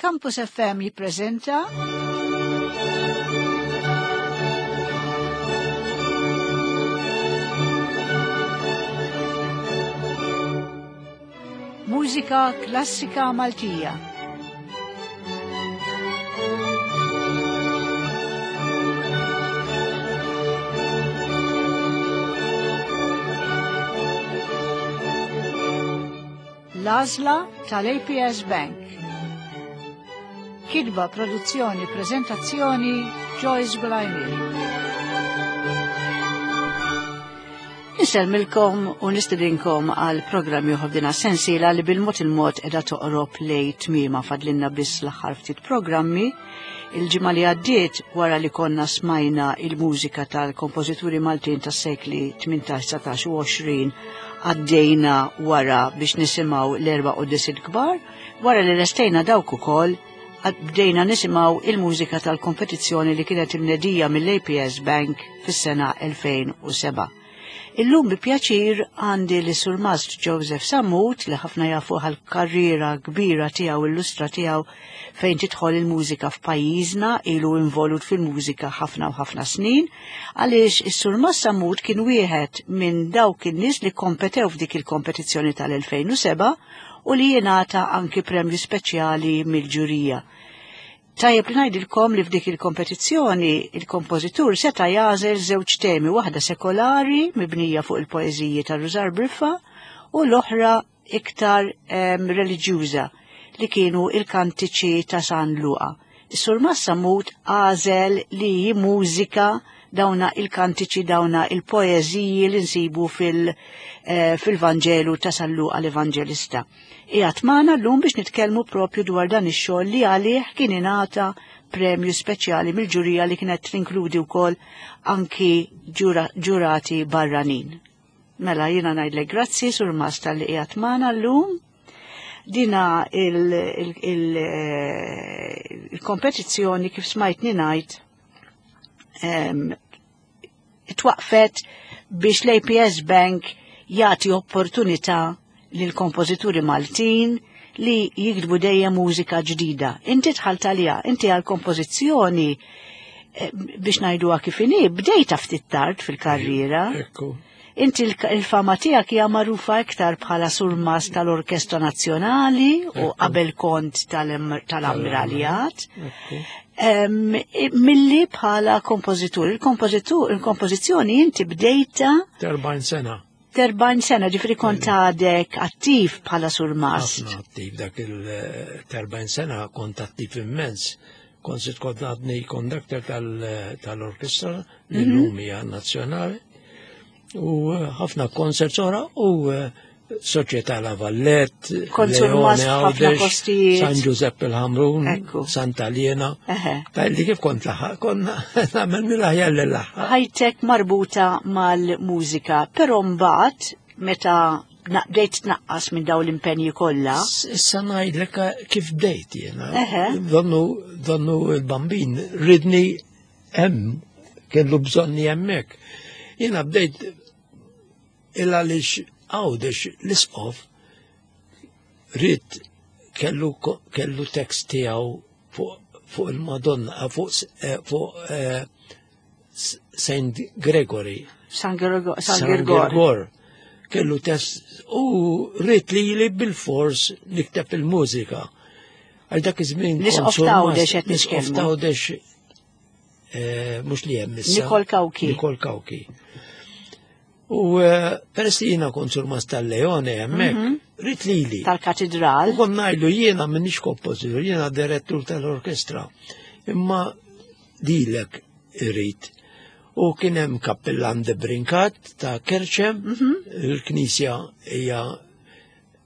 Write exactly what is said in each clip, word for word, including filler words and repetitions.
Campus F M jippreżenta Mużika Klassika Maltija. L-għażla tal-A P S Bank. Kitba, produzzjoni, prezentazzjoni Joyce Gulajmiri. Insellmilkom u nistedinkom għal programm ieħor din sensiela li bil-mod il-mod qiegħda toqrob lej tmiema fadlinna biss l-aħħar ftit programmi. Il-ġimgħa li għaddiet wara li konna smajna il-mużika tal-kompożituri Maltin tas-sekli tmintax, dsatax u għoxrin għaddejna wara biex nisimgħu l-erba' quddiesiet kbar, wara li lestejna dawk ukoll bdejna nisimgħu il-mużika tal-kompetizzjoni li kienet imnedija mill-A P S Bank fis-sena elfejn u seba'. Illum bi pjaċir għandi li Surmast Joseph Sammut li ħafna jafu għal-karriera kbira tiegħu illustra tiegħu fejn tidħol il-mużika f'pajjiżna, ilu involut fil-mużika ħafna u ħafna snin, għaliex is-Surmast Sammut kien wieħed minn dawk in-nies li kompetew f'dik il-kompetizzjoni tal-elfejn u seba' u li jingħata anki premju speċjali mill-ġurija. Tajjeb li ngħidilkom li f'dik il-kompetizzjoni il-kompożitur seta' jagħżel żewġ temi, waħda sekolari mibnija fuq il-poeżiji ta' Rużar Briffa u l-oħra iktar, em, reliġjuża li kienu il-kantiċi ta' San Luqa. Is-Surmast Sammut għażel li jimmużika dawna il-kantiċi, dawna il-poeżiji li nsibu fil-, eh, fil-Vanġelu ta' San Luqa l-Evanġelista. Qiegħed magħna llum biex nitkellmu propju dwar dan ix-xogħol li għalih kien ingħata premju speċjali mill-ġurija li kienet tinkludi wkoll anki ġura-, ġurati barranin. Mela jiena ngħidlek grazzi Surmast tal-li qiegħed magħna llum. Dina il-, il-, il-, il-kompetizzjoni kif smajtni ngħid, em, twaqfet biex l-A P S Bank jagħti opportunità lil kompożituri Maltin li jiktbu dejjem mużika ġdida. Inti dħalt għaliha, inti għall-kompożizzjoni, eh, biex ngħiduha kif inhi, bdejta ftit tard fil-karriera. Ekku. Inti l-, il-fama tiegħek hija magħrufa iktar bħala surmast tal-Orkestra Nazzjonali u Ekku. qabel kont tal-em-, tal-Ammiraljat. Ekku. Em, milli bħala kompożitur. Il-kompożitur, il-kompożizzjoni inti bdejta Terbajn sena. Terbajn sena, ġifri kont għadek attiv bħala surmast. Ħafna attiv, dak il-terbajn sena kont attiv immens. Kont sirt kont għadni konduktor tal-, tal-orkestra li Mhm. llum hija nazzjonali. U ħafna koncerts oħra u Soċjetà La Vallette, Kont Leone surmast f'ħafna Għawdex, postijiet. San Giuseppe l-Ħamrun, Ekku. Santa Liena. Eħe. Tajli kif kont laħaq, konna nagħmel mill-aħjar li laħaq. Ħajtek marbuta mal-mużika, però mbagħad meta na-, bdejt tnaqqas minn dawn l-impenji kollha. S-, issa ngħidlek kif bdejt jiena. Eħe. Donnu, donnu l-bambin ridni hemm, kellu bżonni hemmhekk. Jiena bdejt il għaliex Għawdex l-isqof rid kellu ko-, kellu tekst tiegħu fuq, fuq il-Madonna, fuq s-, eh, fuq, eh, S-, Saint Gregory. San Gergo-, San San Girgor. Girgor. Kellu test u rrid li li bil-fors nikteb il-mużika. Għal dak iż-żmien L-isqof kont surmast, t'Għawdex qed l-isqof nitkellmu. t'Għawdex, eh, mhux li hemm issa. Nikol Cauchi. Nikol Cauchi. U, eh, peress li jiena kont surmast tal-Leone hemmhekk, Mhm. rrid lili. Tal-katedral. U kont ngħidlu jiena m'iniex kompożitur, jiena direttur tal-orkestra. Imma lilek irrid. U kien hemm kappellan de Brincat ta' Kerċem, Mhm. il-knisja hija,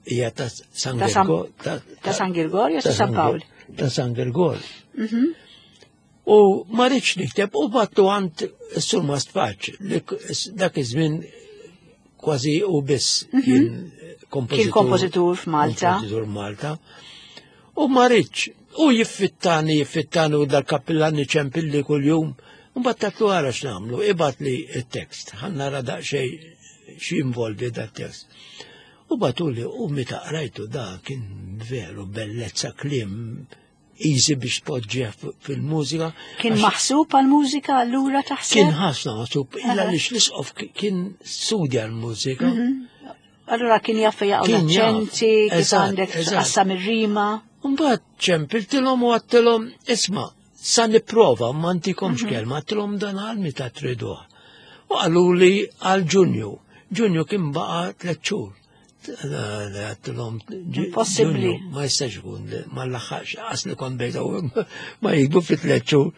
hija ta' San Ta' San Gergo, ta' ta' San Girgor jew ta' ta' San San Pawl? Gir-, ta' San Girgor. Mhm. U ma rridx nikteb u battu għand is-Surmast Paċ, li k-, dak iż-żmien kważi u biss Mhm. kien kompożitur. Kien kompożitur f'Malta. Kompożitur Malta. U ma rridx, u jiffittani, jiffittani u dal-kappillani ċempilli kuljum. U mbagħad tatlu ara x'nagħmlu, ibgħat li t-tekst, ħa nara daqsxejn x'involvi dat-tekst. U batuli, u meta qrajtu da kien veru bellezza kliem easy biex tpoġġih fil-mużika. Kien maħsub għal-mużika allura taħseb? Kien ħafna maħsub, illa li l-isqof kien studja l-mużika. Allura kien jaf jaqgħu Kien jaf. l-aċċenti, kif Eżatt, għandek eżatt. tqassam ir-rima. Mbagħad ċempiltilhom u għedtilhom, isma', sa nipprova ma ntikomx kelma, għedtilhom dan għal meta triduh. U qalu li għal Ġunju. Ġunju kien baqa' tliet xhur. Għedtilhom Impossibbli. Ġunju ma jistax ikun, ma laħħax, għax li kont bejta u ma jikbu fi tliet xhur.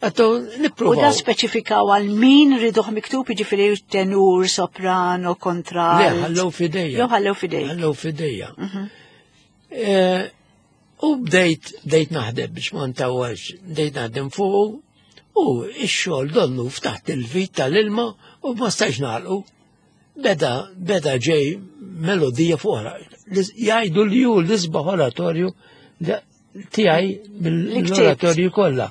Għedtu U da nipprovaw. speċifikaw għal min riduh miktub, jiġifieri tenur, soprano, kontra. Le, ħallew f'idejja. Jew ħallew f'idejk. Ħallew f'idejja. Eh, U bdejt, bdejt naħdem biex ma ntawwalx, bdejt naħdem fuq u ix-xogħol donnu ftaħt il-vit tal-ilma u ma stajx nagħlqu. Beda, beda ġej melodija fuq oħra. Jgħidu li hu l-isbaħ oratorju li- tiegħi mill-oratorju kollha.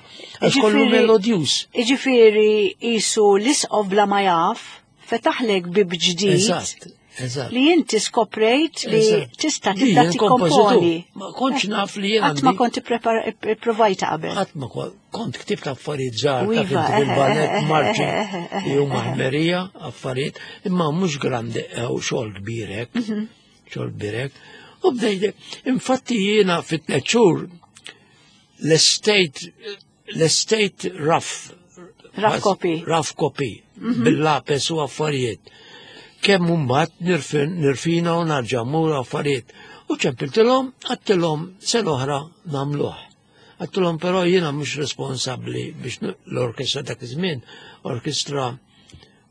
Għax kollu Jiġifieri- melodjuż. Iġifieri qisu l-isqof bla ma jaf, fetaħlek bib ġdid Eżatt, eżatt. li inti skoprejt li Eżatt. tista' Li tibda jien tikkomponi. kompożitur. Ma kontx naf li jien Qatt ma għandi- konti provajta qabel. Qatt ma kon- kont ktibt affarijiet żgħar U ta' iva, finti eħe, fil-ballet, eħe, marċi, eħe, eħe, li huma ħmerija, affarijiet, imma mhux grandi u xogħol kbir hekk, Mhm. xogħol kbir hekk. U bdejt, infatti jiena fit-tliet xhur l-estate l-estate rough Rough copy. rough copy bil-lapes u affarijiet. Kemm mbagħad nirfin- nirfina u narġa' mmur affarijiet. U ċempiltilhom, għedtilhom sena oħra nagħmluh. Għedtilhom però jiena mhux responsabbli biex n- l-orkestra dak iż-żmien, orkestra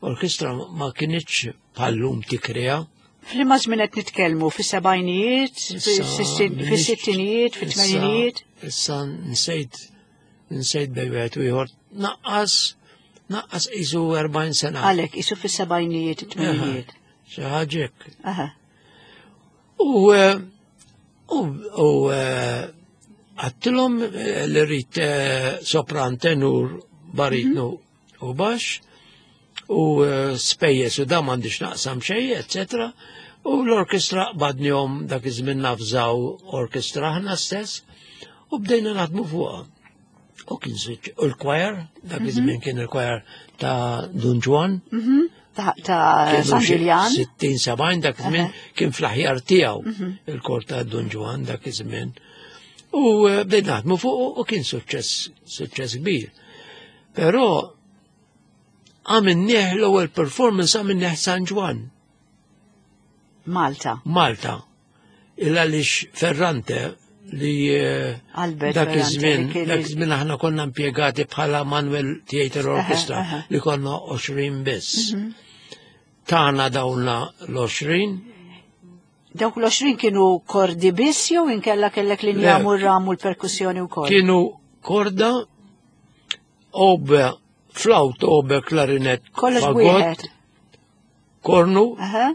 orkestra ma kinitx bħal-lum tikkrea. F'liema żmien qed nitkellmu fis-sebgħinijiet, fis-sittinijiet, fit-tmeninijiet. Issa nsejt nsejt bejn wieħed u ieħor naqqas naqqas qisu erbgħin sena. Għalek, qisu fis-sebgħinijiet, it-tmeninijiet. Xi ħaġa hekk. Aha. U eh, u u eh, għedtilhom eh, li rrid eh, sopran, tenur, baritnu u baxx u eh, spejjeż u da m'għandix naqsam xejn, eccetera. U l-orkestra badnihom dak iż-żmien nafżaw orkestra aħna stess u bdejna naħdmu fuqha. U kien suċ- u l-choir, dak iż-żmien kien il-choir ta' Dun Ġwann, Mhm. Ta' ta' kienu San xi Ġiljan. sittin sebgħin dak iż-żmien kien fl-aħjar tiegħu il-kor ta' Dun Ġwann dak iż-żmien. U eh, bdejna naħdmu fuq u kien suċċess suċċess kbir. Però għamilnieh l-ewwel performance għamilnieh San Ġwann, Malta. Malta. Illa għaliex Ferrante li eh, Albert dak Ferrante iż-żmien, li kien dak il- iż-żmien aħna konna impjegati bħala Manuel Theatre Orchestra aha. li konna għoxrin biss. Tana dawna l-għoxrin, Dawk l-għoxrin kienu kordi biss jew inkella kellek li Le. njamu r-ramu l-perkussjoni wkoll? Kienu korda, oboe, flawt, oboe, klarinet, Kollox fagot, wieħed. kornu, Aha.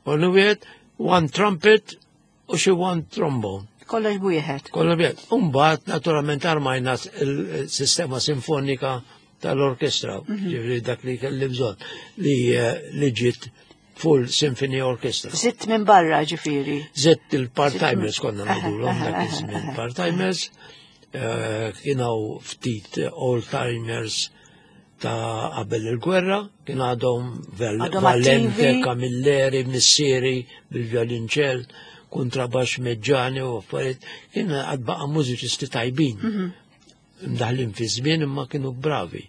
kornu wieħed, one trumpet u xi one trombone. Kollox wieħed. Kollu wieħed. Umbagħad naturalment armajna il-sistema sinfonika tal-orkestra, ġifieri dak li kelli bżonn li eh, li ġiet full symphony orchestra. Zitt minn barra ġifieri. Zitt il-part-timers konna Aha, ngħidulhom aha, dak aha, iż-żmien aha. part-timers, eh, kienu ftit old-timers ta' qabel il-gwerra, kien għadhom Val- Għadhom Valente, attivi. Camilleri, Missieri, bil-vjolinċell, kontrabax Meġġani u affarijiet, kien għad baqa' mużiċisti tajbin. Mhm. Mdaħlin fi żmien imma kienu bravi.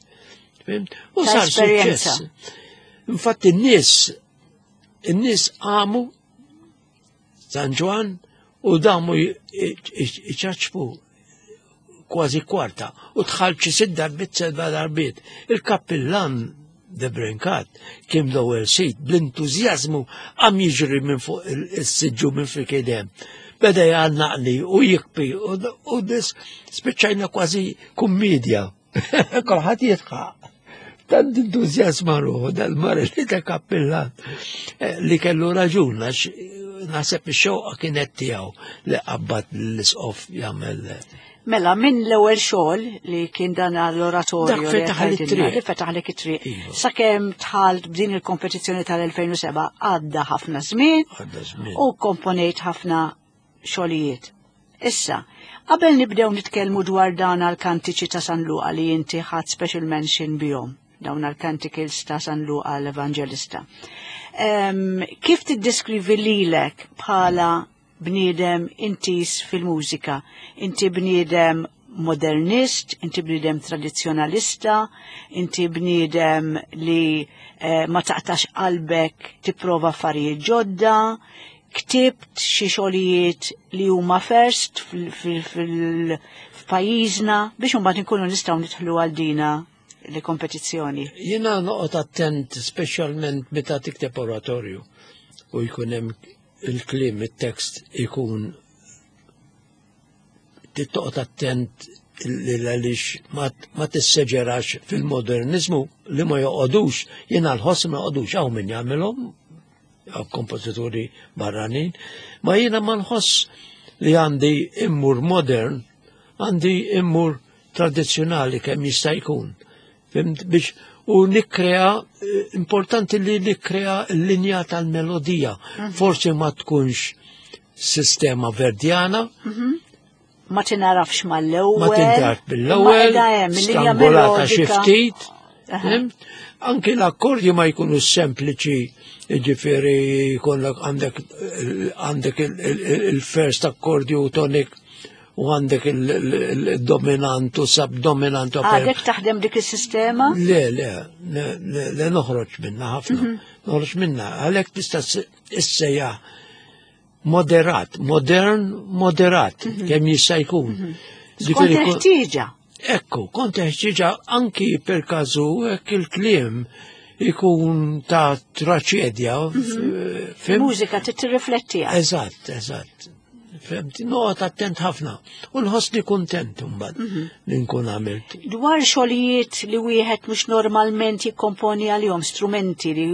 Fhimt? U Ta' sar esperjenza. suċċess. Infatti n-nies in-nies qamu San Ġwann u damu iċaċpu kważi kwarta u dħalt xi sitt darbiet seba' darbiet. Il-kappillan de Brincat kien l-ewwel sit bl-entużjażmu qam jiġri minn fuq il-siġġu minn fil kedem. Beda jgħannaqni u jikpi u u dis spiċċajna kważi kummedja. Kulħadd jidħaq. Tant entużjażma ruħu dal-mara li ta' kappillan eh, li kellu raġun għax naħseb ix-xewqa kienet tiegħu li qabad l-isqof jagħmel Mela, minn l-ewwel xogħol li kien dan l-oratorju Dak li fetaħ li għedtilna, t-triq. li fetaħlek it-triq. Iva. Sakemm dħalt b'din il-kompetizzjoni tal-elfejn u sebgħa għadda ħafna żmien Għadda żmien. u komponejt ħafna xogħlijiet. Issa, qabel nibdew nitkellmu dwar dan għal-kantiċi ta' San Luqa li inti ħadd special mention bihom, dawn għal-canticles ta' San Luqa l-Evangelista. Um, kif tiddeskrivi lilek bħala bniedem intis fil-mużika? Inti bniedem modernist, inti bniedem tradizzjonalista, inti bniedem li eh, ma taqtax qalbek tipprova affarijiet ġodda, ktibt xi xogħlijiet li huma first fil-pajjiżna biex imbagħad inkunu nistgħu nidħlu għal dina li kompetizzjoni. Jiena noqgħod attent speċjalment meta tikteb oratorju u jkun hemm il-kliem, it-tekst ikun toqgħod attent għaliex ma tisseġerax fil-modernizmu li ma joqogħdux, jiena l-ħoss ma joqogħdux hawn min jagħmilhom kompożituri barranin, ma jiena ma nħoss li għandi immur modern, għandi immur tradizzjonali kemm jista' jkun. Fhimt biex u nikkrea, importanti li nikkrea l-linja tal-melodija. Forsi ma tkunx sistema verdjana, Ma tinarafx mal-ewwel. ma tintaraf bil-ewwel, strangolata xi ftit. Fhimt? Anki l-akkordji ma jkunu sempliċi, ġifieri jkollok għandek għandek il-first akkordju tonic u għandek il-dominant u subdominant. Għadek taħdem dik il-sistema? Le, le, le, le, le noħroġ minna ħafna. Noħroġ minna, għalhekk tista' issejjaħ moderat, modern, moderat, kemm jista' jkun. Skont Ġifieri kun- il-ħtieġa. Ekku, kont ħtieġa anki per każu hekk il-kliem ikun ta' traċedja. Fhimt? Mużika tirrifletti. Eżatt, eżatt. Fhimt, noqgħod attent ħafna. U nħossni kuntent imbagħad li nkun għamilt. Dwar xogħlijiet li wieħed mhux normalment jikkomponi għalihom strumenti li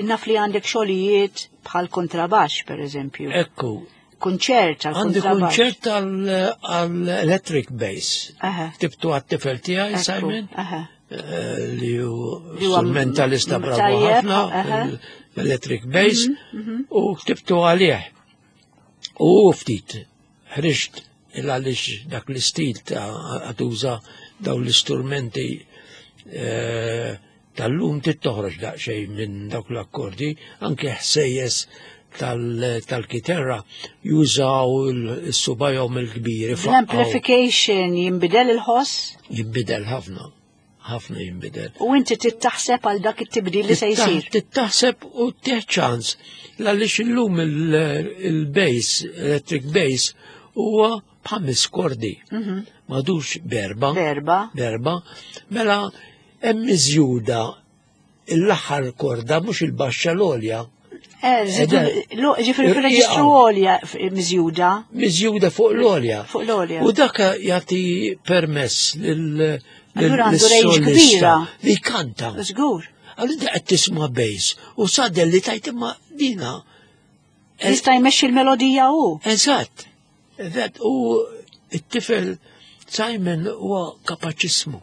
naf li għandek xogħlijiet bħal kontrabax per eżempju. Ekku, Kunċert għal għandi kontrabax. kunċert għal-electric bass. Aha. Ktibtu għat-tifel tiegħi, Ekku, Simon, aha. eh, li hu Li huwa strumentalista bravo tajjeb, ħafna aha. fil-electric bass, u ktibtu għalih. U ftit ħriġt il għaliex dak l-istil ta' għatuża daw l-istrumenti eh, tal-lum tittoħroġ daqsxejn minn dawk l-akkordi, anke ħsejjes tal- tal-kiterra jużaw il-subajhom il-kbiri. L-amplification jinbidel il-ħoss Jimbidel ħafna, ħafna jimbidel. u inti tittaħseb għal dak it-tibdil li se jsir. Tittaħseb u tieħ ċans għaliex illum il-bass, electric bass, huwa b'ħames kordi. M'għadux b'erba'. B'erba'. B'erba'. Mela hemm miżjuda l-aħħar korda mhux il-baxxa l-għolja. Eh, zidu, Eda- lo- ġifieri fil-reġistru għolja f- miżjuda. Miżjuda fuq l-għolja. Fuq l-għolja. U dak jagħti permess lil Allura għandu range lis-solista kbira. li kanta. Żgur. Allura inti qed tisma' bass u sadel li tajt imma dina. Jista' jmexxi l-melodija hu. Eżatt. Eżatt. U it-tifel Simon huwa kapaċissmu.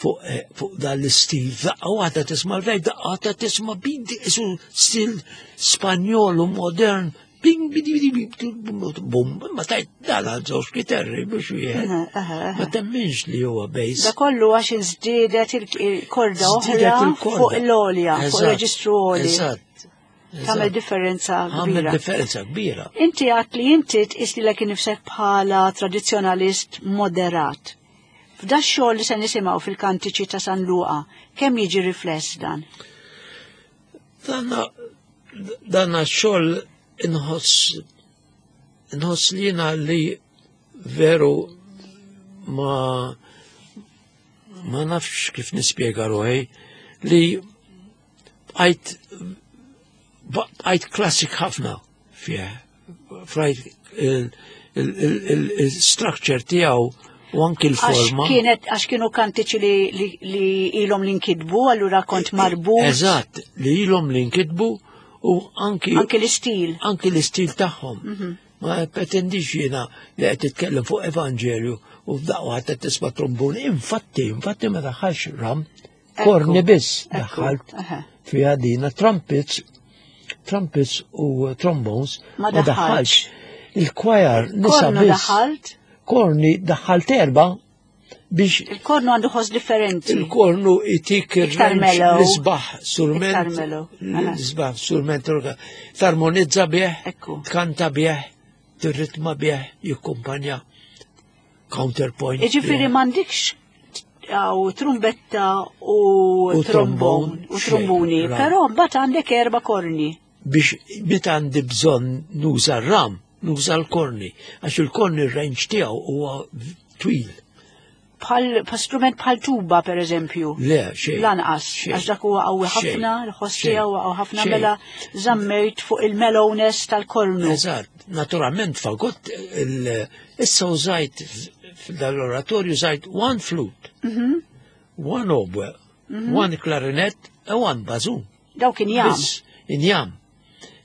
Fuq eh, fuq dan l-istil, daqqa waħda tisma' l-vej, daqqa waħda tisma' bidi isu stil Spanjol u modern, bing, bidi, bidi, bidi, bum, ma tajt dan għal żewġ kiterri biex wieħed. Aha, aha, aha. Ma temminx li huwa bass. Da kollu għax inżdiedet il-korda Żdiedet oħra il-korda. fuq l-għolja, fuq Eżatt, il-reġistru għoli. Eżatt. Tagħmel differenza Għamel kbira. differenza kbira. Inti għat li inti tqis li lek nifsek bħala tradizzjonalist moderat. F'da xogħol li se nisimgħu fil-kantiċi ta' San Luqa, kemm jiġi rifless dan? Dana, dana xogħol inħoss inħoss li jiena li veru ma ma nafx kif nispjega ruħi li bqajt bqajt klassik ħafna fih. Frajt il-structure tiegħu u anki Għax l-forma. kienet għax kienu kantiċi li, li, li ilhom li nkitbu, allura kont marbut. Eżatt, li ilhom li nkitbu u anki Anki l-istil. anki l-istil tagħhom. Ma pretendix jiena li qed titkellem fuq Evanġelju u f'daqqa waħda tisma' trombun. Infatti, infatti ma daħħalx ram, korni biss Ekku, daħħalt aha. fiha dina trumpets, trumpets u trombones Ma ma daħħalx. Il-choir nisa Kornu biss. daħalt, Korni daħħalt erba biex il-kornu għandu ħoss differenti. il-kornu itik Iktar il-range mellow. l-isbaħ Iktar surment. mellow. Aha. L-isbaħ surment orga. Tarmonizza bih, Ekku. tkanta bih, tirritma bih, jikkumpanja counterpoint. Iġifiri bih. m'għandikx għaw trumbetta u, U trombon trombon, u xejn, tromboni, ra. però mbagħad għandek erba' korni. Biex meta għandi bżonn nuża r-ram, nuża l-korni, għax il-korni r-range tiegħu huwa twil. Bħal bħal strument bħal tuba per eżempju. Le, xejn. Lanqas, xejn, għax dak huwa qawwi xejn, ħafna, l-ħoss xejn, tiegħu huwa qawwi ħafna xejn. mela żammejt fuq il-mellowness tal-kornu. Eżatt, naturalment fagott il- issa użajt f'dal-oratorju użajt one flute, Mhm. one oboe, one clarinet e one bassoon. Daw kien jam. Biss, injam.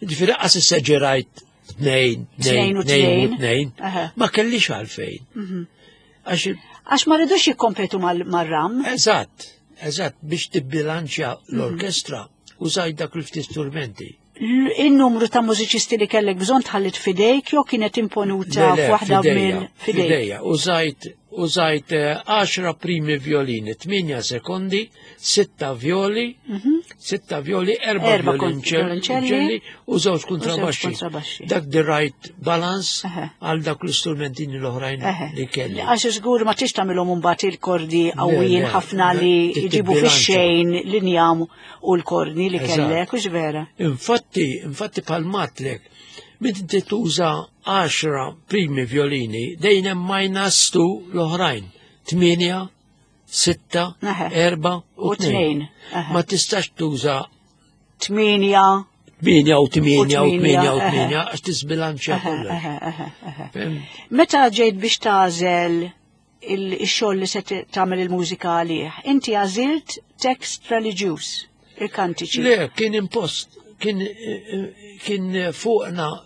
Ġifieri qas esaggerajt tnejn, Tnejn tnejn, u tnejn u tnejn. tnejn. Aha. Mhm. Ma kellix għalfejn. Għax, Għax ma rridux jikkompetu mal- mar-ram. eżatt, eżatt, biex tibbilanċja l-orkestra, użajt dak il-ftit strumenti. L- Il-numru ta' mużiċisti li kellek bżonn tħallit fidejk jew kienet imponuta Le, le, f'waħda fidejja, minn fidejk. Fidejja, użajt, użajt eh, għaxra primi violini, tminja sekondi, sitta violi, sitta violi, erba, Mhm. Erba kont- violonċelli violonċelli u żewġ kontrabaxxi. kontrabaxxi. Dak the right balance Eħe. għal dak l-istrumentini l-oħrajn Eħe. li kelli. Għax żgur ma tix tagħmilhom imbagħad il-kordi qawwijin le, ħafna le, li trid jġibu tibbilanċa. fix-xejn l-injam u l-korni li Eżatt. kellek, hux vera. Infatti, infatti palmatlek, meta inti tuża għaxra primi violini, dejjem hemm minus two l-oħrajn. Tminja, sitta, Eħe. erba u U tnejn. tnejn. Eħe. Ma tistax tuża Tminja. tminja u tminja u U tminja u eħe. tminja għax tisbilanċja Eħe, kollox. eħe, eħe, eħe. Fhimt? Meta ġejt biex tagħżel il-xogħol li se t- tagħmel il-mużika għalih, inti għażilt tekst reliġjuż, il-kantiċi. Le, kien impost, kien, kien fuqna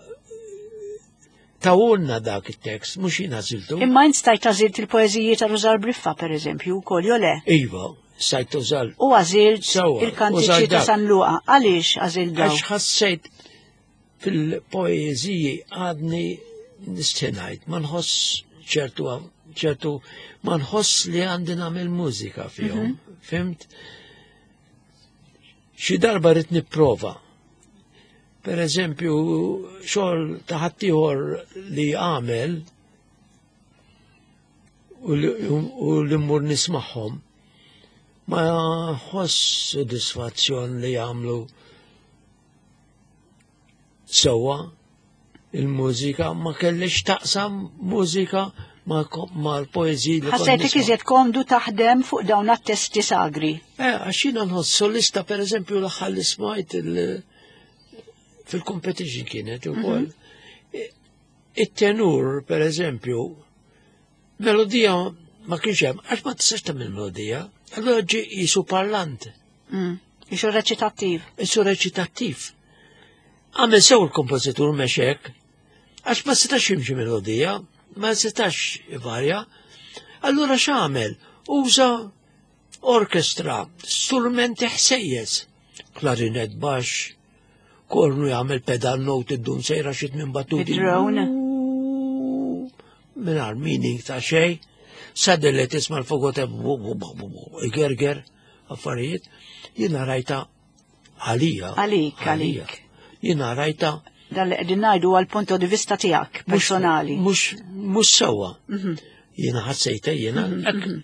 tawulna dak il-tekst, mux jien għażiltu. Imma int stajt għażilt il-poeżiji ta' Rużar Briffa, per eżempju, wkoll jew le? Iva, stajt użal. U għażilt Sewwa, il-kantiċi użajt ta' dak. San Luqa. Għaliex għażilt daw? Għax ħassejt fil-poeziji għadni nistinajt, ma nħoss ċertu, ċertu, ma nħoss li għandi nagħmel mużika fihom, fhimt? Xi darba rrid nipprova. Per eżempju, xogħol ta' ħaddieħor li għamel u li, u li mmur nismagħhom, ma ħoss sodisfazzjon li jagħmlu sewwa il-mużika, ma kellix taqsam mużika ma' ma' l-poeziji li kont Ħassejtek nisma'. iżjed komdu taħdem fuq dawn għat-testi sagri. Eh, għax jiena nħoss solista, per eżempju, l-aħħar li smajt il- fil-competition kienet ukoll. It-tenur, per eżempju, melodija ma kienx hemm, għax ma tistax tagħmel melodija, allura ġie qisu parlant, Mm. Ixu reċitattiv. qisu reċitattiv. Għamel sew il-kompożitur mexek, għax ma setax jimxi melodija, ma setax varja. Allura x'għamel? Uża orkestra, strumenti ħsejjes, klarinet baxx, kornu jagħmel pedal note id-dun sejra xi tmien battuti. Bid-drone. Mingħajr meaning ta' xejn. Suddenly tisma' l-fogote igerger affarijiet. Jiena rajta għalija. Għalik, għalija. għalik. Jiena rajta Dan li qegħdin ngħidu għal punto di vista tiegħek mhux- personali. Mhux mhux sewwa. Jiena ħassejta jiena. hekk.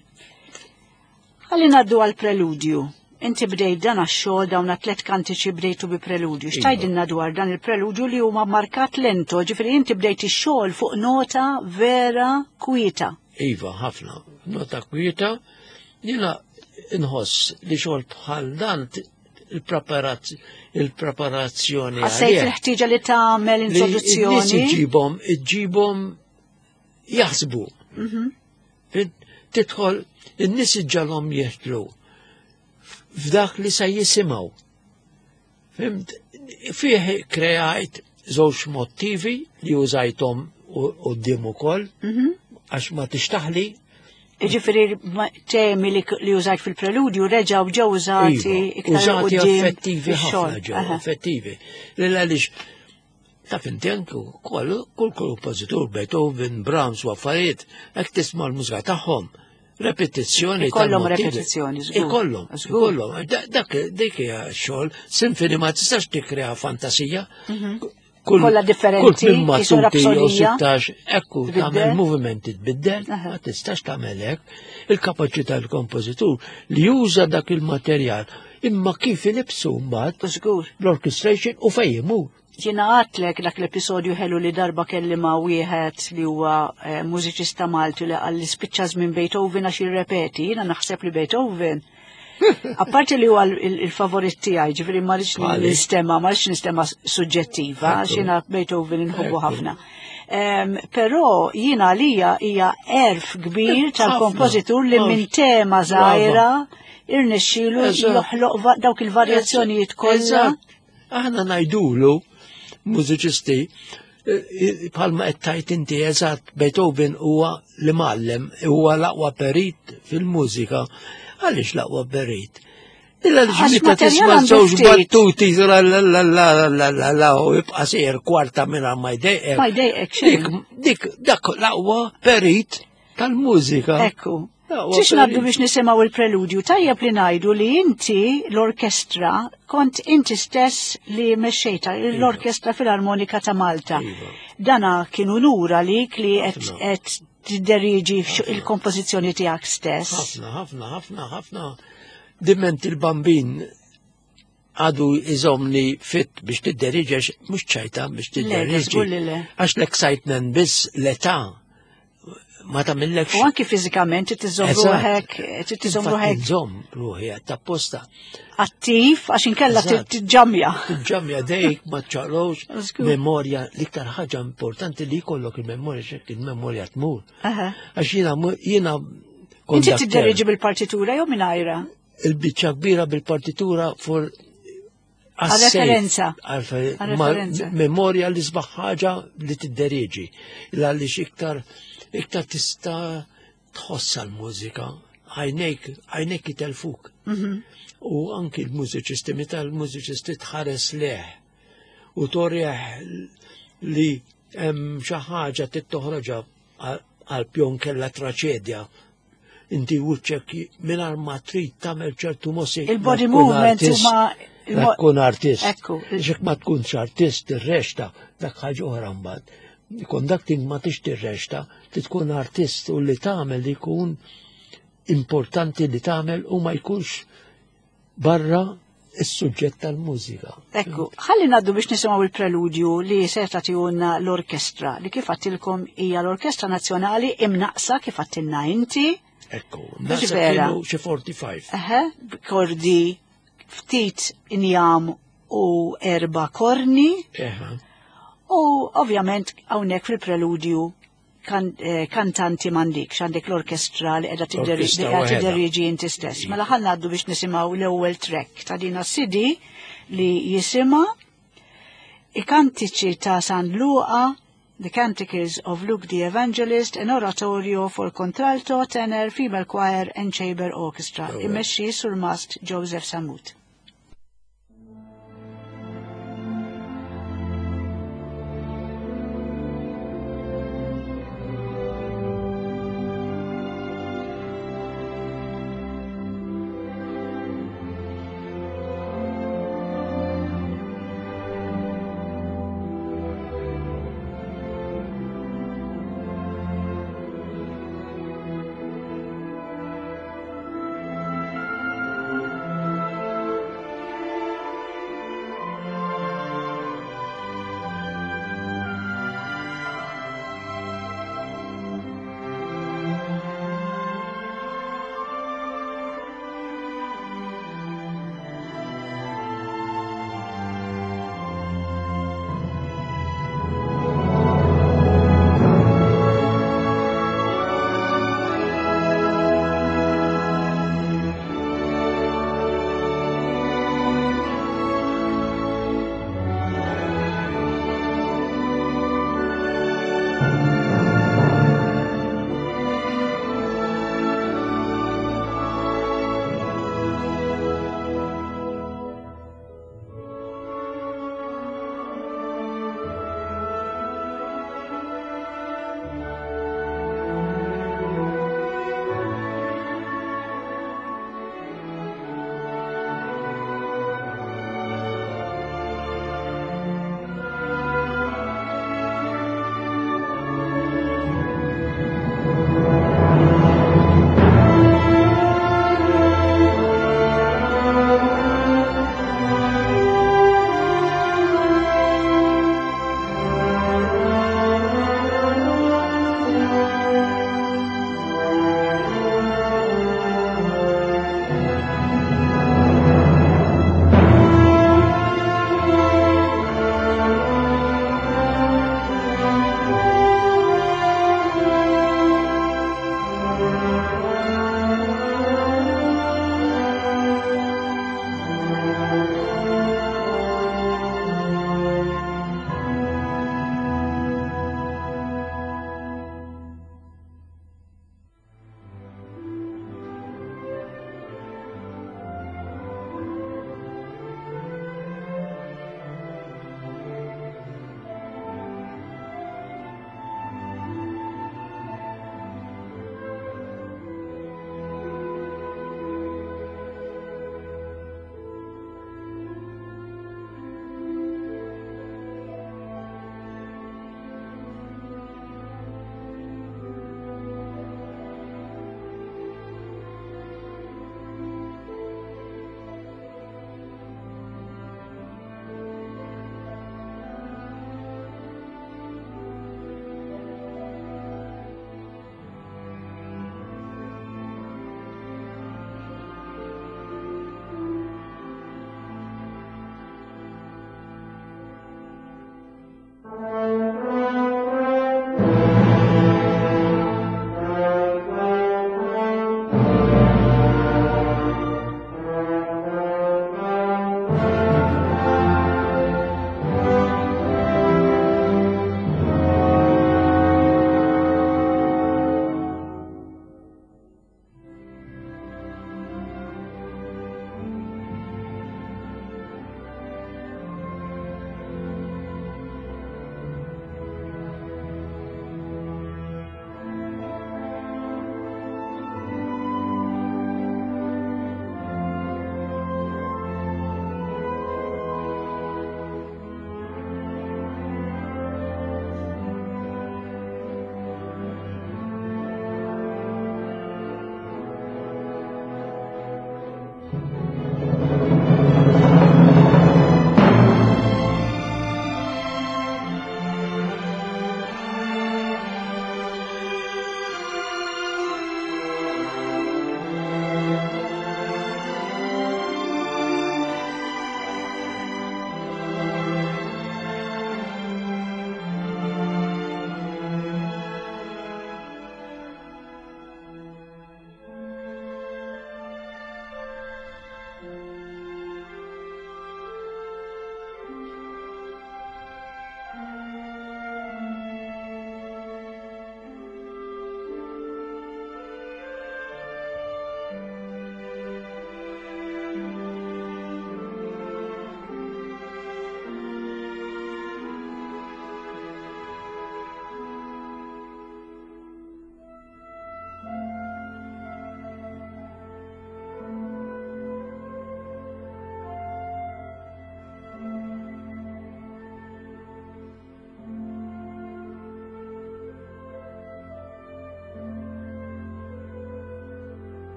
Ħalli ngħaddu għal preludju. Inti bdejt dan għax-xogħol dawn tliet kantiċi bdejtu bi preludju. Iva. X'tgħidilna dwar dan il-preludju li huma markat lento, ġifieri inti bdejt ix-xogħol fuq nota vera kwieta. Iva, ħafna. Nota kwieta, jiena inħoss li xogħol bħal dan t- il-preparazz- il-preparazzjoni Ħassejt għalih. il-ħtieġa li tagħmel Li n-nies introduzzjoni. iġibhom, iġibhom jaħsbu. Fint, Tidħol, in-nies iġġalhom jeħtlu f'dak li se jisimgħu. Fimt, fih kreajt żewġ motivi li użajthom quddiem ukoll, għax ma tixtaħli. Ġifieri ma- temi li, li użajt fil-preludju reġgħu ġew użati Iva, iktar użati quddiem effettivi fix-xogħol. ħafna ġew, Aha. effettivi. Lil għaliex Taf inti anke kull kull kompożitur Beethoven, Brahms u affarijiet, hekk tisma' l-mużika tagħhom. Repetizzjoni Ikollhom repetizzjoni, żgur. Ikollhom, ikollhom. Dak dik hija xogħol, sinfoni ma tistax tikkrea fantasija. Kollha differenti, kull minn matuti jew sittax, ekku tagħmel movimenti tbiddel, ma tistax tagħmel hekk. Il-kapaċità tal-kompożitur li juża dak il-materjal imma kif ilibsu mbagħad Żgur. l-orchestration u fejn imur. Jiena għatlek dak l-episodju ħelu li darba kelli ma' wieħed li huwa eh, mużiċista Malti li qal li spiċċa żmien Beethoven għax jirrepeti, jiena naħseb li Beethoven. Apparti li huwa il-favorit tiegħi, ġifieri ma rridx nistema, ma rridx nistema suġġettiva, għax jiena Beethoven inħobbu ħafna. Però jiena għalija hija erf kbir tal-kompożitur li minn tema żgħira irnexxielu joħloq dawk il-varjazzjonijiet kollha. Aħna ngħidulu mużiċisti bħalma qed tajt inti eżatt Beethoven huwa l-imgħallem, huwa l-aqwa perit fil-mużika. Għaliex l-aqwa perit? Illa li meta tisma' żewġ battuti la la la la la la la u jibqa' sejjer kwarta mingħajr ma jdejqek. Ma jdejqek xejn. Dik dak l-aqwa perit tal-mużika. Ekku. Ġiex nabdu biex nisimgħu il-preludju, tajjeb li ngħidu li inti l-orkestra kont inti stess li mexxejta l-Orkestra Filarmonika ta' Malta. Dana kien unur għalik li qed tidderiġi il-kompożizzjoni tiegħek stess. Ħafna, ħafna, ħafna, ħafna. Diment il-bambin għadu iżomni fit biex tidderiġi, mhux ċajta biex tidderiġi. Għax l-excitement biss l-età ma tagħmillekx. U anki fiżikament tiżomm ruħek, tiżomm ruħek. Nżomm ruħi apposta. Attiv għax inkella tiġġamja. Tiġġamja dejk ma ċaqlux memorja, l-iktar ħaġa importanti li jkollok il-memorja x'hekk il-memorja tmur. Għax jiena jiena Inti tidderiġi bil-partitura jew mingħajra? Il-biċċa kbira bil-partitura for għal-referenza. Memorja li sbaħ ħaġa li tidderiġi. Għaliex iktar iktar tista' tħossa l-mużika, għajnejk, għajnejk jitelfuk. U anki l-mużiċisti, meta l-mużiċisti tħares leħ u torjeħ li hemm xi ħaġa tittoħroġha għal pjon kella traċedja. Inti wiċċek mingħajr ma trid tagħmel ċertu mossi. Il-body movement huma tkun artist. Xek ma tkunx artist tirrexta dak ħaġa oħra mbagħad. Conducting ma tix tirrexta, tkun artist u li tagħmel li jkun importanti li tagħmel u ma jkunx barra is-suġġett tal-mużika. Ekku, ħalli ngħaddu biex nisimgħu il-preludju li se tagħtihulna l-orkestra li kif għattilkom hija l-Orkestra Nazzjonali imnaqsa kif għattilna inti. Ekku, naqsa kienu xi forty-five. Eħe, kordi ftit injam u erba' korni. Eħe. U ovvjament hawnhekk fil-preludju kantanti m'għandikx, għandek l-orkestra li qiegħda tidderiġi inti stess. Mela ħa ngħaddu biex nisimgħu l-ewwel track ta' din C D li jisimha I Kantiċi ta' San Luqa, The Canticles of Luke the Evangelist, an oratorio for contralto, tenor, female choir and chamber orchestra. Immexxi sur mast Joseph Samut. Thank you.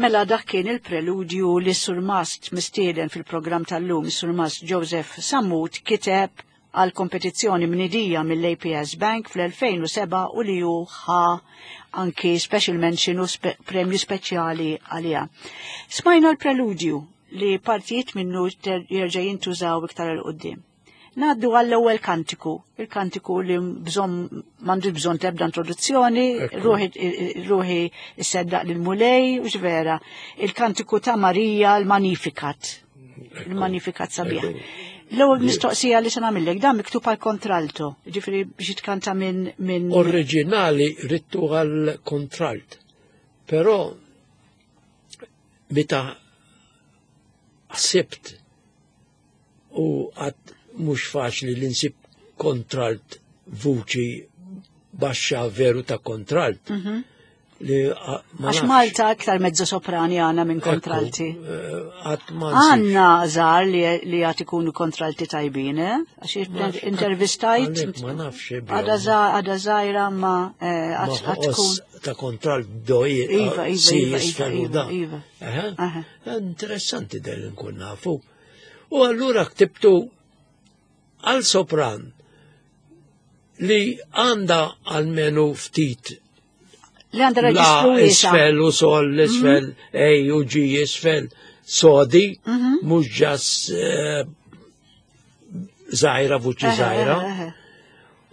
Mela dak kien il-preludju li Surmast mistieden fil-programm tal-lum, Surmast Joseph Sammut kiteb għal kompetizzjoni mnidija mill-A P S Bank fl-elfejn u seba' u li hu ħa anki special mention u spe-, premju speċjali għalija. Smajna l-preludju li partijiet minnu jerġa' jintużaw iktar 'il quddiem. Naddu għall-ewwel kantiku, il-kantiku li bżonn m'għandu bżonn tebda introduzzjoni, ruħi, ruħi isseddaq lil Mulej, u vera, il-kantiku ta' Marija, il-Magnificat. Il-Magnificat sabiħ. L-ewwel mistoqsija li se nagħmellek, dan miktub għal kontralto, ġifieri biex jitkanta minn, minn Oriġinali rittu għal kontralt, però meta ħsibt u għad mhux faċli li nsib kontralt vuċi baxxa veru ta' kontralt. Mhm. Li, a, ma Għax nafx. Malta aktar mezzo soprani għandna minn Ekku, kontralti. eh, għad ma nsibx. Għandna żgħar li, li għad ikunu kontralti tajbin, eh? Għax Ma nafx, intervistajt. għalhekk ma nafx, eh, Għada za-, għada żgħira ma, eh, Ma għad għad tkun. ħoss ta' kontralt doj, Iva, iva, si iva, jisfel u iva, da. iva. Aha. Aha. Interessanti del nkun nafu. U allura ktibtu għal sopran li għanda għalmenu ftit Li għanda la reġistru wiesa. isfel u sol, isfel, Mhm. A u G isfel, sodi, Mhm. mhux ġas, eh, żgħira, vuċi Eħe, żgħira. eħe, eħe.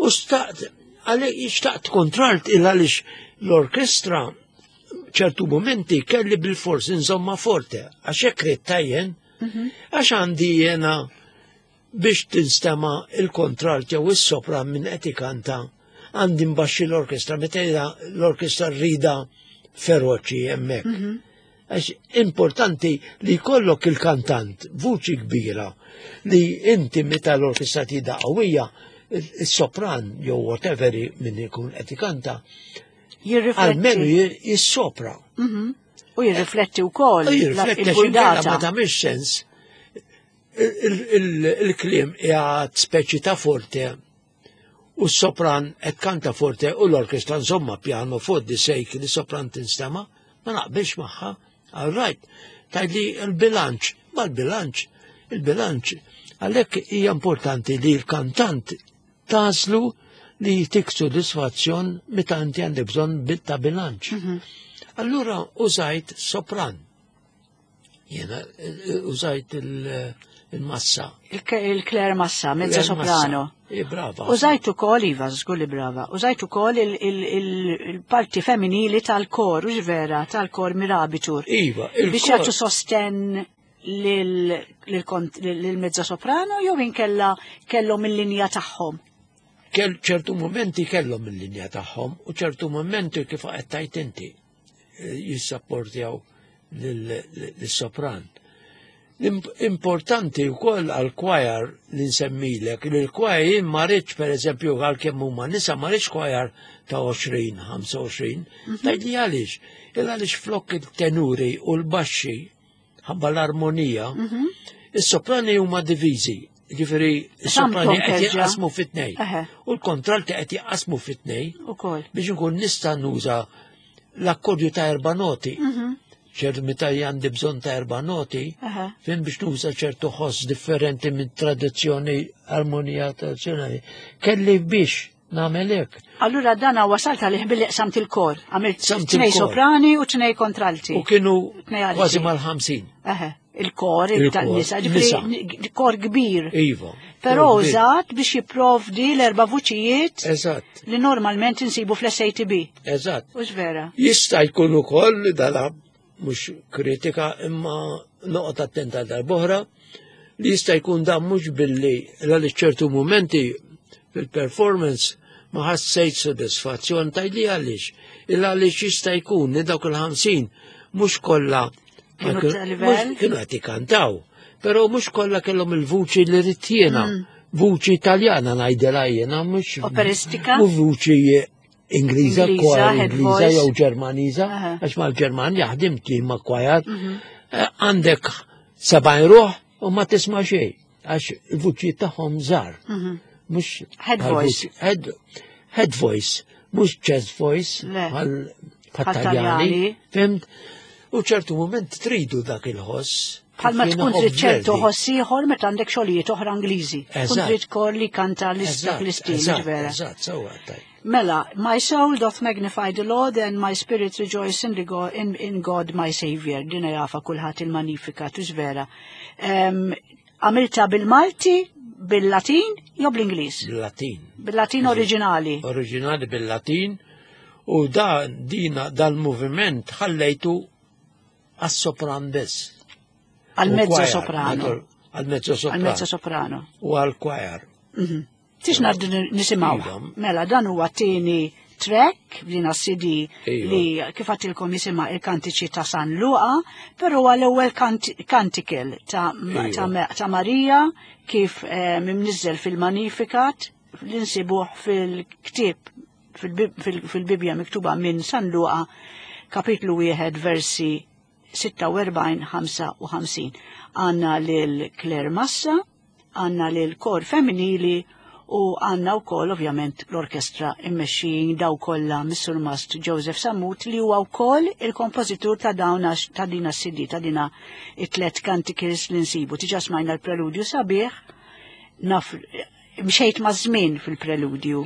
U staqt, għalli xtaqt kontralt il għaliex l-orkestra ċertu momenti kelli bil-fors insomma forte, għax hekk ridt tajjen, Mhm. għax għandi jena biex tinstema il-kontralt jew is-sopran minn qed ikanta, għandi mbaxxi l-orkestra, meta l-orkestra rida feroċi hemmhekk. Mhm. Għax importanti li jkollok il-kantant, vuċi kbira, li inti meta l-orkestra tida qawwija, il-sopran jew whatever min ikun qed ikanta, Jirrifletti. almenu jir-, jissopra. Mhm. U jirrifletti wkoll U jirrifletti għax inkella il-burdata. ma tagħmilx sens. Il-, il-, il-, il-kliem qiegħed speċi ta' forte u s-sopran qed kanta forte u l-orkestra insomma piano fuq di sejk li sopran tinstema, ma naqbilx magħha. All right, tgħidli l-bilanċ, ma l-bilanċ, il-bilanċ. Għalhekk hija importanti li l-kantant tażlu li jtik sodisfazzjon meta inti għandek bżonn ta' bilanċ. Mhm. Allura użajt sopran. Jena użajt il-massa. Il-Claire Massa, mezzo soprano. E brava. Użajt ukoll, iva, żgur li brava. Użajt ukoll il-parti femminili tal-kor, u vera, tal-kor Mirabitur. Iva, il-kor. Biex jagħtu sosten lil-mezzo soprano jew inkella kellhom il-linja tagħhom? Kell ċertu momenti kellhom il-linja tagħhom u ċertu momenti kif qed tajt inti jissapportjaw lis-sopran. Importanti wkoll għal-kwajar li nsemmilek, li l-kwajar jien ma rridx pereżempju għalkemm huma nisa ma rridx kwajar ta' għoxrin, ħamsa u għoxrin, tgħidli għaliex. Il għaliex flok il-tenuri u l-baxxi ħabba l-armonija, is-soprani huma diviżi. Ġifieri is-soprani qed jinqasmu fit-tnejn. U l-kontralti qed jinqasmu fit-tnejn biex inkun nista' nuża l-akkordju ta' erba' noti. ċertu meta għandi bżonn ta' erba' noti, fin biex nuża ċertu ħoss differenti minn tradizzjoni, armonija tradizzjonali. Kelli biex nagħmel hekk. Allura dana wasalt għalih billi qsamt il-kor. Għamilt tnej soprani u tnej kontralti. U kienu kważi mal-ħamsin. Il-kor, il-nisa, ġifieri kor kbir. Iva. Però użat biex jipprovdi l-erba' vuċijiet Eżatt. li normalment insibu fl-S A T B. Eżatt. Hux vera? Jista' jkun ukoll dala mhux kritika imma noqgħod attenta darb'oħra li jista' jkun dan mhux billi għaliex ċertu mumenti fil-performance ma ħassejt sodisfazzjon tgħidli għaliex. Il għaliex jista' jkun li dawk il-ħamsin mhux kollha kienu qed ikantaw, però mhux kollha kellhom il-vuċi li rrid jiena, vuċi Italjana ngħidilha jiena mhux operistika u vuċi Ingliża, kwajar Ingliża jew Ġermaniża, għax mal-Ġermanja ħdimt li ma' kwajar, għandek sebgħin ruħ u ma tisma' xejn, għax il-vuċi tagħhom żgħar. Mhux head voice. Head voice, mhux chest voice bħal-Taljani, fimt? U ċertu moment tridu dak il-ħoss. Bħalma tkun trid ċertu ħoss ieħor meta għandek xogħlijiet oħra Ingliżi. Tkun trid kor li kanta l-istil vera. Eżatt, sewwa tajb. Mela, my soul doth magnify the Lord and my spirit rejoice in, the God, in, in God my Savior. Dina jafa kulħadd il-Magnificat, hux vera. Għamilta bil-Malti, bil-Latin jew bl-Ingliż? Bil-Latin. Bil-Latin oriġinali. Oriġinali bil-Latin u da dina dal-moviment ħallejtu għas-sopran biss. Għal-mezzo soprano. Għal-mezzo soprano. Għal-mezzo soprano. U għal-kwajar. Tix naddu nisimaw. Mela, dan huwa tieni track f'dina C D li kif għatilkom jisimha il-kantiċi ta' San Luqa, però huwa l-ewwel kantikel ta' Marija kif mimniżżel fil-Magnificat li nsibuh fil-ktieb fil-Bibbja miktuba minn San Luqa kapitlu wieħed versi sitta u erbgħin ħamsa u ħamsin. Għanna lil Claire Massa, għanna lil kor femminili u għanna wkoll ovvjament l-orkestra immexxijin daw kollha mis-Surmast Joseph Sammut li huwa wkoll il-kompożitur ta' dawn ta' dina C D ta' dina it-tlet canticles li nsibu. Tiġa smajna l-preludju sabiħ, naf mxejt ma' żmien fil-preludju.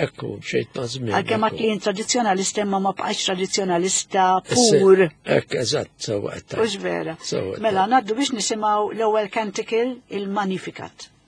Ekku, mxejt ma' żmien. Għalkemm għad li tradizzjonalista imma ma bqajtx tradizzjonalista pur. Ekk, eżatt, sewwa qed tgħid. Hux vera. Mela ngħaddu biex nisimgħu l-ewwel canticle, il-Magnificat. Oh.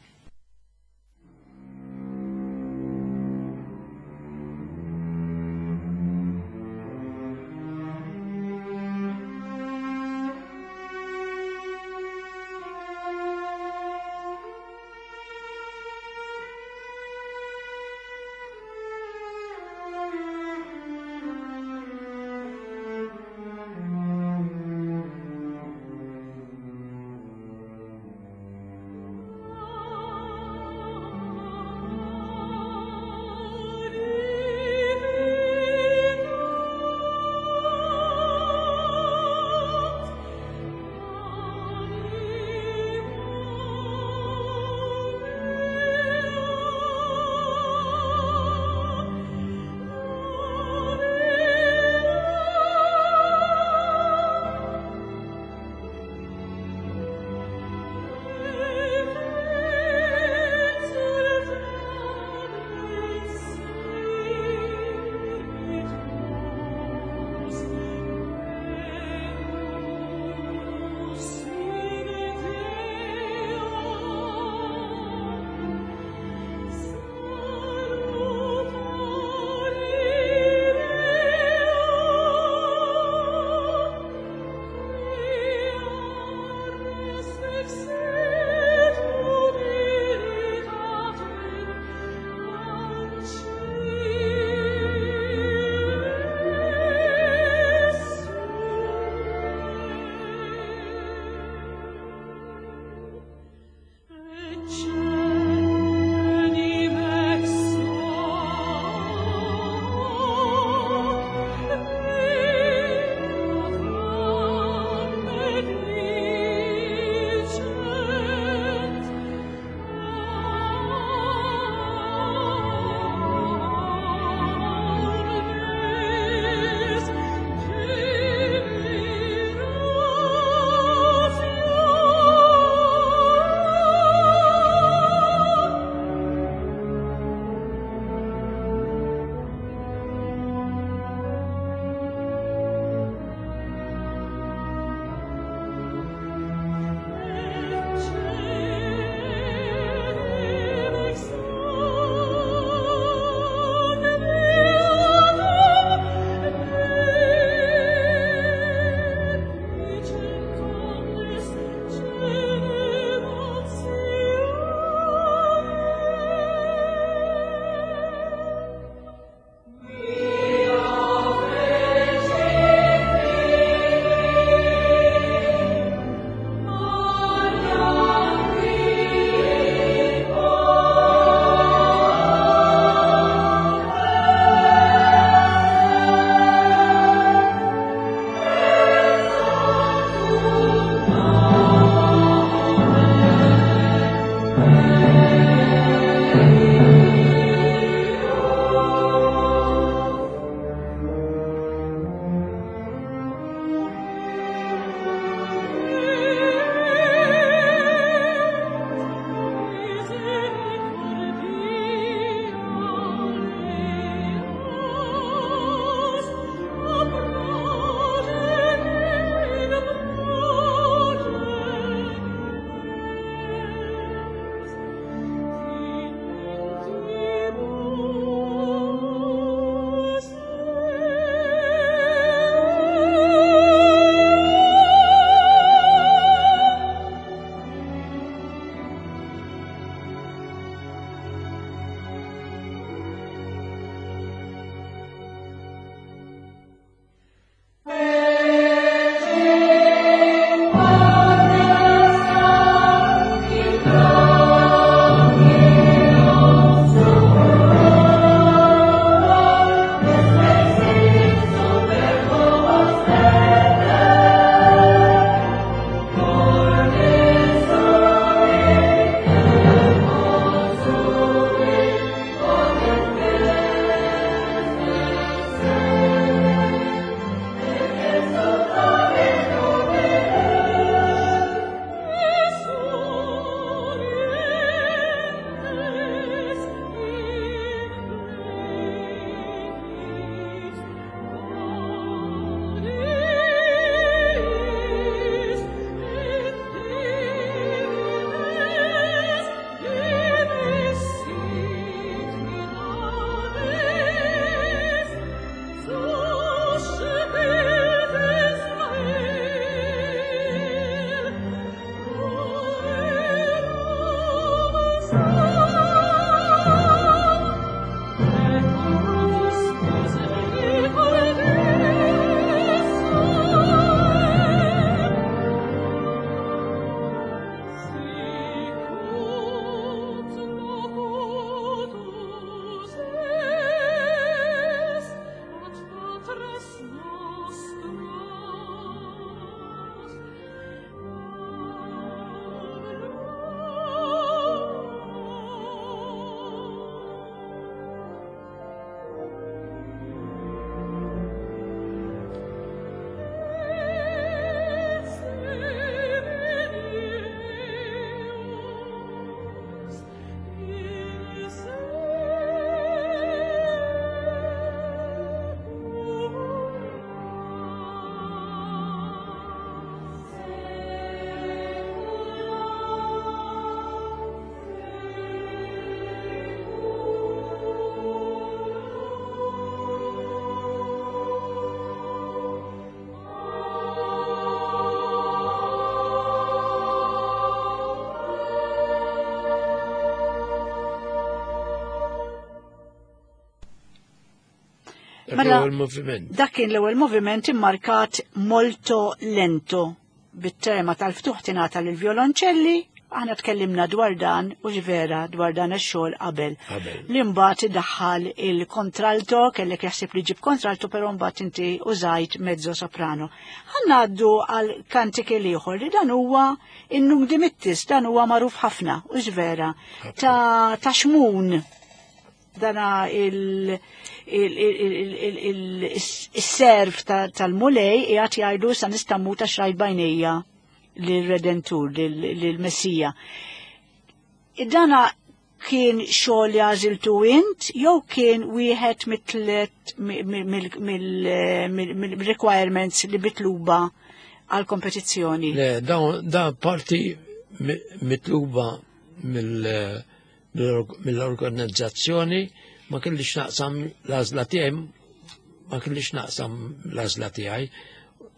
Dak Mela, l-ewwel moviment. Dak kien l-ewwel moviment immarkat molto lento bit-tema tal-ftuħ tingħata lill-violonċelli, aħna tkellimna dwar dan u ġvera dwar dan ix-xogħol qabel. Qabel. Li mbagħad iddaħħal il-kontralto, kellek jaħseb li ġib kontralto, però mbagħad inti użajt mezzo soprano. Ħa ngħaddu għal kantiki ieħor li dan huwa in-Nunc Dimittis, dan huwa magħruf ħafna u ġvera ta' ta' Xmun. Dana il- il- il- il- il- il-serv tal-Mulej qiegħed jgħidu sa nista' mmut għax rajt b'għajnejja lir-Redentur, lill-Messija. Dana kien xogħol li għażiltu int jew kien wieħed mit-tlet mill-requirements li mitluba għal kompetizzjoni? Le, da parti mitluba mill- mill-organizzazzjoni, ma kellix naqsam l-għażla tiegħi, ma kellix naqsam l-għażla tiegħi.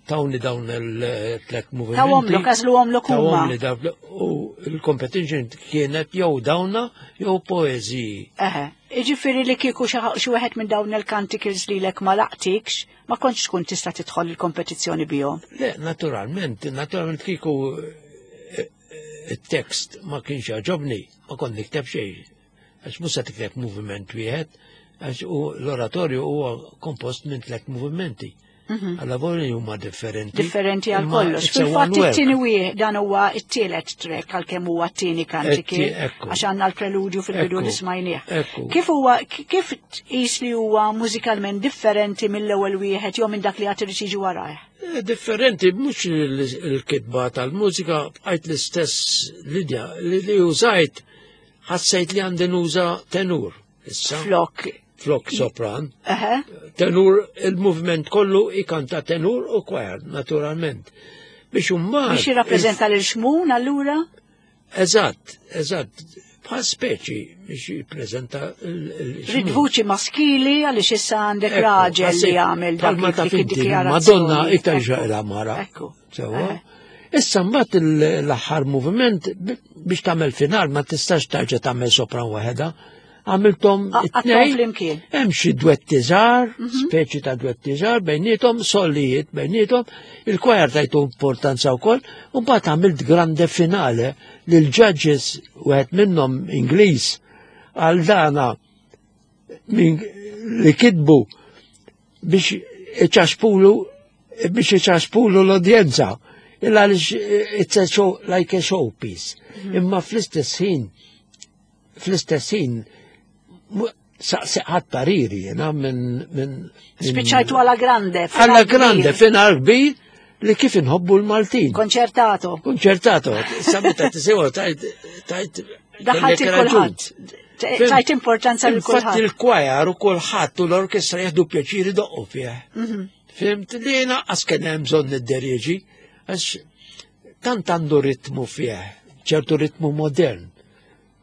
Tawni dawn il-tlet movimenti. Tawhomlok, għażluhomlok huma. Tawhomli dawn, u il-competition kienet jew dawna jew poeżiji. Eħe, iġifieri li kieku xi wieħed minn dawn il-canticles li lek ma laqtikx, ma kontx tkun tista' tidħol il-kompetizzjoni bihom. Le, naturalment, naturalment kieku il-tekst ma kienx jogħġobni, ma kont nikteb xejn. Għax mhux se tikteb moviment wieħed, għax u l-oratorju huwa kompost minn tliet movimenti. Alla voli huma differenti. Differenti għal kollox. Fil-fatt it-tieni wieħed dan huwa t-tielet track għalkemm huwa t-tieni kantiki għax għandna l-preludju fil-bidu li smajnieh. Kif huwa kif tqis li huwa mużikalment differenti mill-ewwel wieħed jew minn dak li għad irid jiġi warajh? Differenti mhux il-kitba tal-mużika bqajt l-istess linja li użajt, ħassejt li għandi nuża tenur. Issa. Flok. Flok sopran. Tenur, il-movement kollu ikanta tenur u choir, naturalment. Biex umma. Biex jirrappreżenta lil Xmun allura? Eżatt, eżatt. Bħal speċi biex jippreżenta il-Xmun. Rid vuċi maskili għaliex issa għandek raġel li jagħmel dak id-dikjarazzjoni. Madonna iktar ġaqla mara. Ekku. Sewwa. Issa mbagħad l-aħħar moviment biex tagħmel final ma tistax tarġa' tagħmel sopran waħedha. Għamiltom it-tnejn. Hemm xi dwetti żgħar, speċi ta' dwetti żgħar bejniethom, solijiet bejniethom, il-kwajar tajtu importanza wkoll, u mbagħad għamilt grande finale lil judges wieħed minnhom Ingliż għal dana min li kitbu biex iċaxpulu biex iċaxpulu l-udjenza. Illa għaliex it's a show, like a showpiece. Imma fl-istess ħin fl-istess ħin saqsiqat pariri jena minn minn Spiċċajtu alla grande. Alla grande, final kbir li kif inħobbu l-Maltin. Konċertato. Konċertato. Sa meta tisimgħu tajt tajt Daħħalt kulħadd. Tajt importanza lil Infatti kulħadd. il-kwajar u kulħadd u l-orkestra jieħdu pjaċiri doqqu fih. Fimt li jiena qas kien hemm bżonn nidderieġi, għax tant għandu ritmu fih, ċertu ritmu modern.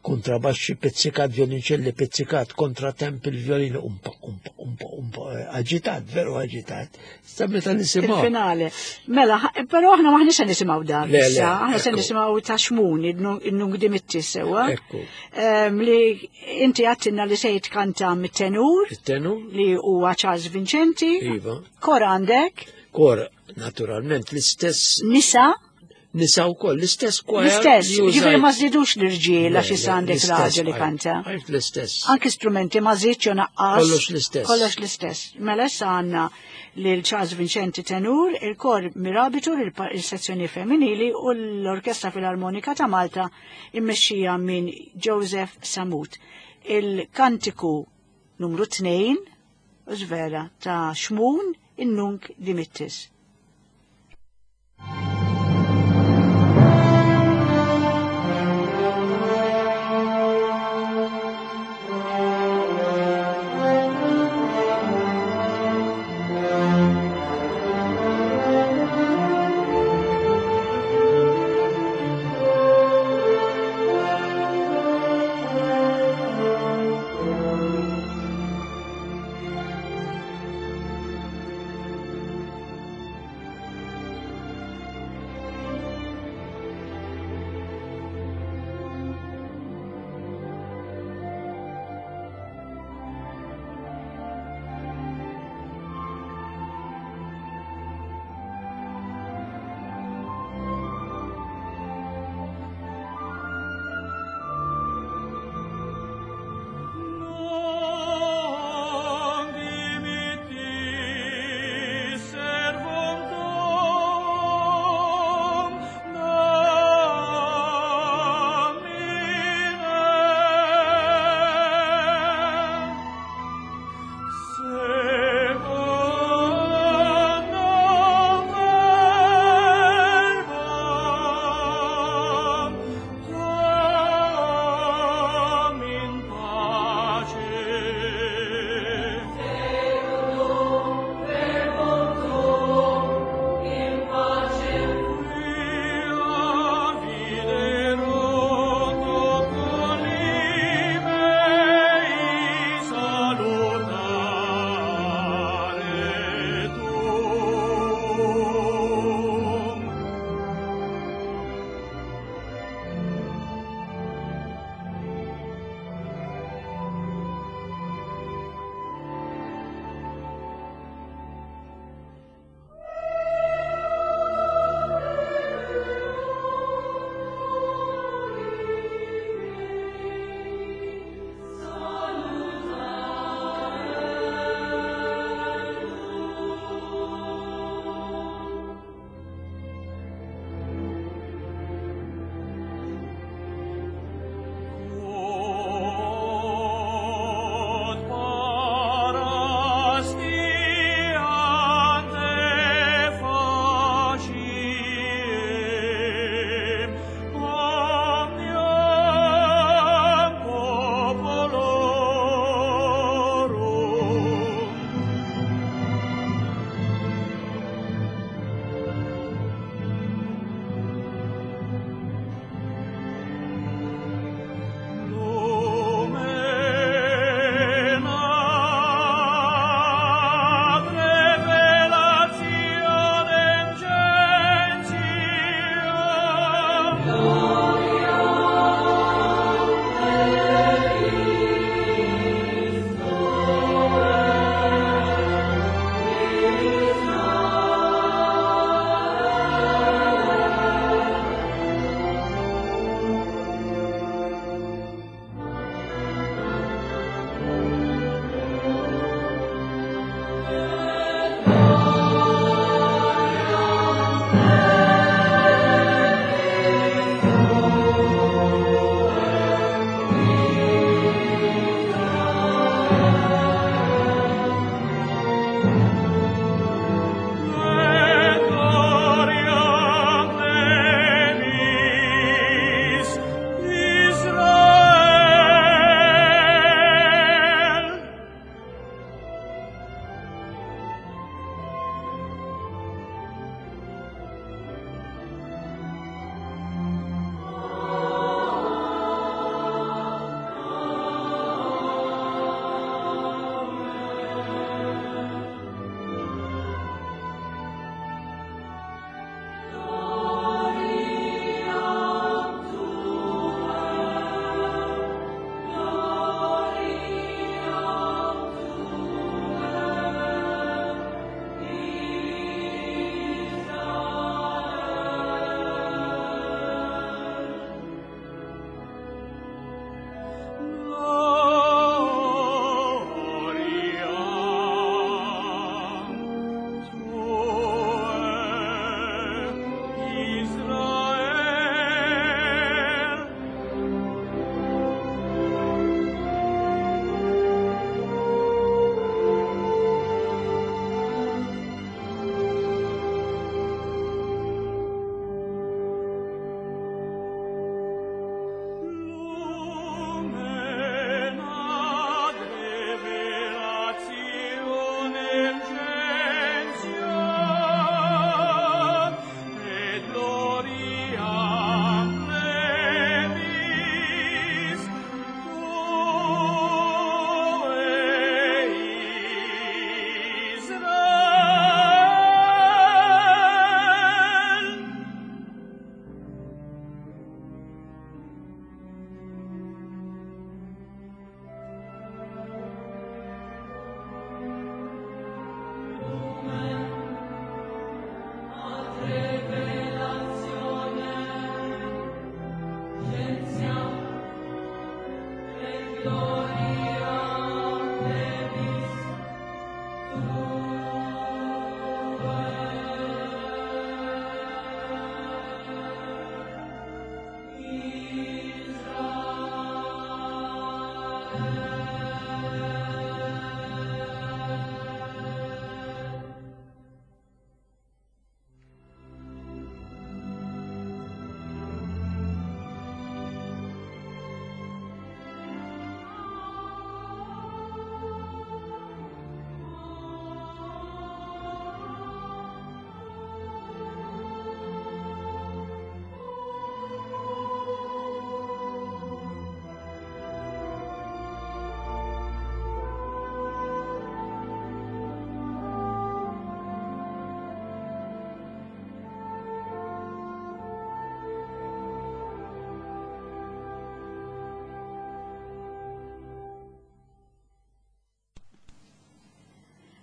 Kontrabaxxi pizzikat, violinċelli pizzikat, kontratemp il-violini, umpa, umpa, umpa, umpa, aġitat, veru aġitat. Sta meta nisimgħu. Il-finale. Mela, però aħna maħniex se nisimgħu dak Le, le, issa, aħna se ekku. nisimgħu ta' Xmun, in-Nunc Dimittis sewwa. Ekku. Ehm, Li inti għattinna li se jitkanta mit-tenur, Il-tenur? li huwa Charles Vincenti. Iva. Kor għandek, Kor, naturalment, l-istess nisa, nisa wkoll, l-istess kwajar. l-istess, li użajt. ġifieri ma żidux l-irġiel għax Le, issa le, għandek l-istess, raġel li għajt, kanta. Għajt l-istess. Anki strumenti ma żidx jew naqqas. Kollox l-istess. Kollox l-istess. Mela issa għandna lil Charles Vincenti tenur, il-kor Mirabitur, il-sezzjoni femminili u l-Orkestra Filarmonika ta' Malta immexxija minn Joseph Samut. Il-kantiku numru tnejn, u vera, ta' Xmun in-Nunc Dimittis. Thank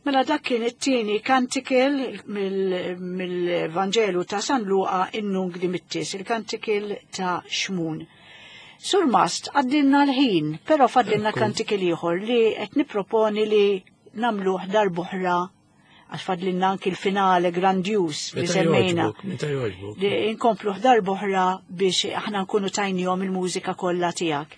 Mela dak kien it-tieni kantikil mill-Vanġelu ta' San Luqa in-Nunc Dimittis, il-kantikil ta' Xmun. Sur Mast, għaddinna l-ħin, però fadlinna kantikil ieħor li qed nipproponi li nagħmluh darb'oħra għax fadlinna anki l-finale grandjus li semmejna. Li inkompluh darb'oħra biex aħna nkunu tajnihom il-mużika kollha tiegħek.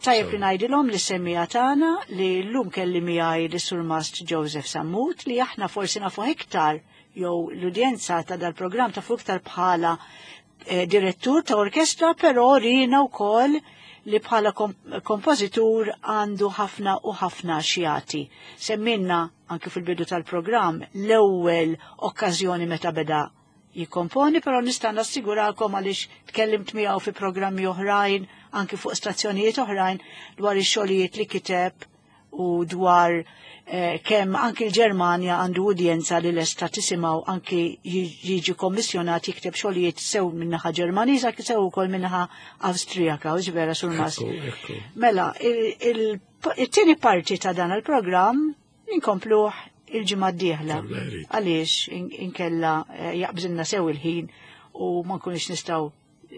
Tajjeb li ngħidilhom li semmija tagħna li llum kelli miegħi li Sur Mast Joseph Sammut li aħna forsi nafu iktar jew l-udjenza ta' dal-programm tafu iktar bħala eh, direttur ta' orkestra, però rina wkoll li bħala kompożitur għandu ħafna u ħafna xjati. Semminna anke fil-bidu tal-programm l-ewwel okkażjoni meta beda jikkomponi, però nista' nassigurakom għaliex tkellimt miegħu fi programmi oħrajn, anki fuq stazzjonijiet oħrajn, dwar ix-xogħlijiet li kiteb u dwar eh, kemm anki l-Ġermanja għandu udjenza li lesta tisimgħu anki jiġi kommissjonat jikteb xogħlijiet sew min-naħa Ġermaniża sew ukoll min-naħa Awstrijaka, u vera Sur Mast. Mela, it-tieni parti ta' dan il-programm inkompluh il-ġimgħa d-dieħla. Għaliex inkella jaqbżilna sew il-ħin u ma nkunux nistgħu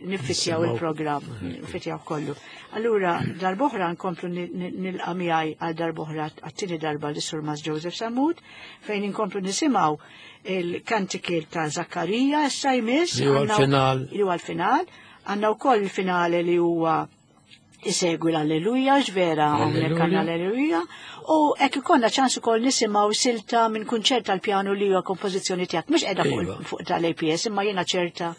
niffitjaw il-programm, niffitjaw kollu. Allura, darb'oħra nkomplu nilqa' miegħi għal darb'oħra għat-tieni darba li Sur Mast Joseph Sammut, fejn inkomplu nisimgħu il-kantikil ta' Zakkarija issa jmiss. Li huwa l-final. Li huwa l-final. Għandna wkoll il-finale li huwa isegwi l-Alleluja, ġvera hawnhekk għandna l-Alleluja, u hekk ikollna ċans ukoll nisimgħu silta minn kunċert tal-pjanu li huwa kompożizzjoni tiegħek, mhux qiegħda fuq tal-A P S, imma jiena ċerta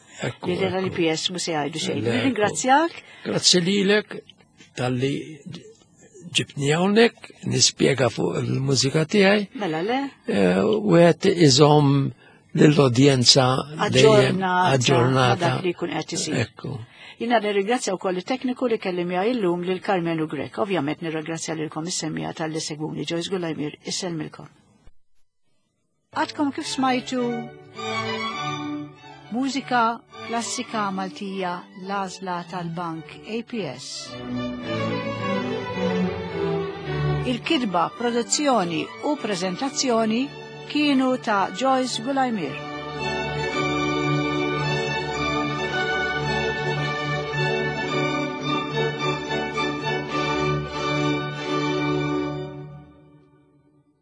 li tal-A P S mhux se jgħidu xejn. Nirringrazzjak. Grazzi lilek talli ġibtni hawnhekk nispjega fuq il-mużika tiegħi. Mela le. Wieħed iżomm lill-udjenza dejjem aġġornata dak li jkun qed isir. Ekku. Jina nirringrazzja wkoll it-tekniku li kelli miegħi illum lil Karmenu Grech. Ovvjament nirringrazzja lilkom is-semmija tal-li segwuni. Joyce Gulajmir, isselmilkom. Għadkom kif smajtu mużika klassika Maltija l-għażla tal-Bank A P S. Il-kitba, produzzjoni u preżentazzjoni kienu ta' Joyce Gulajmir.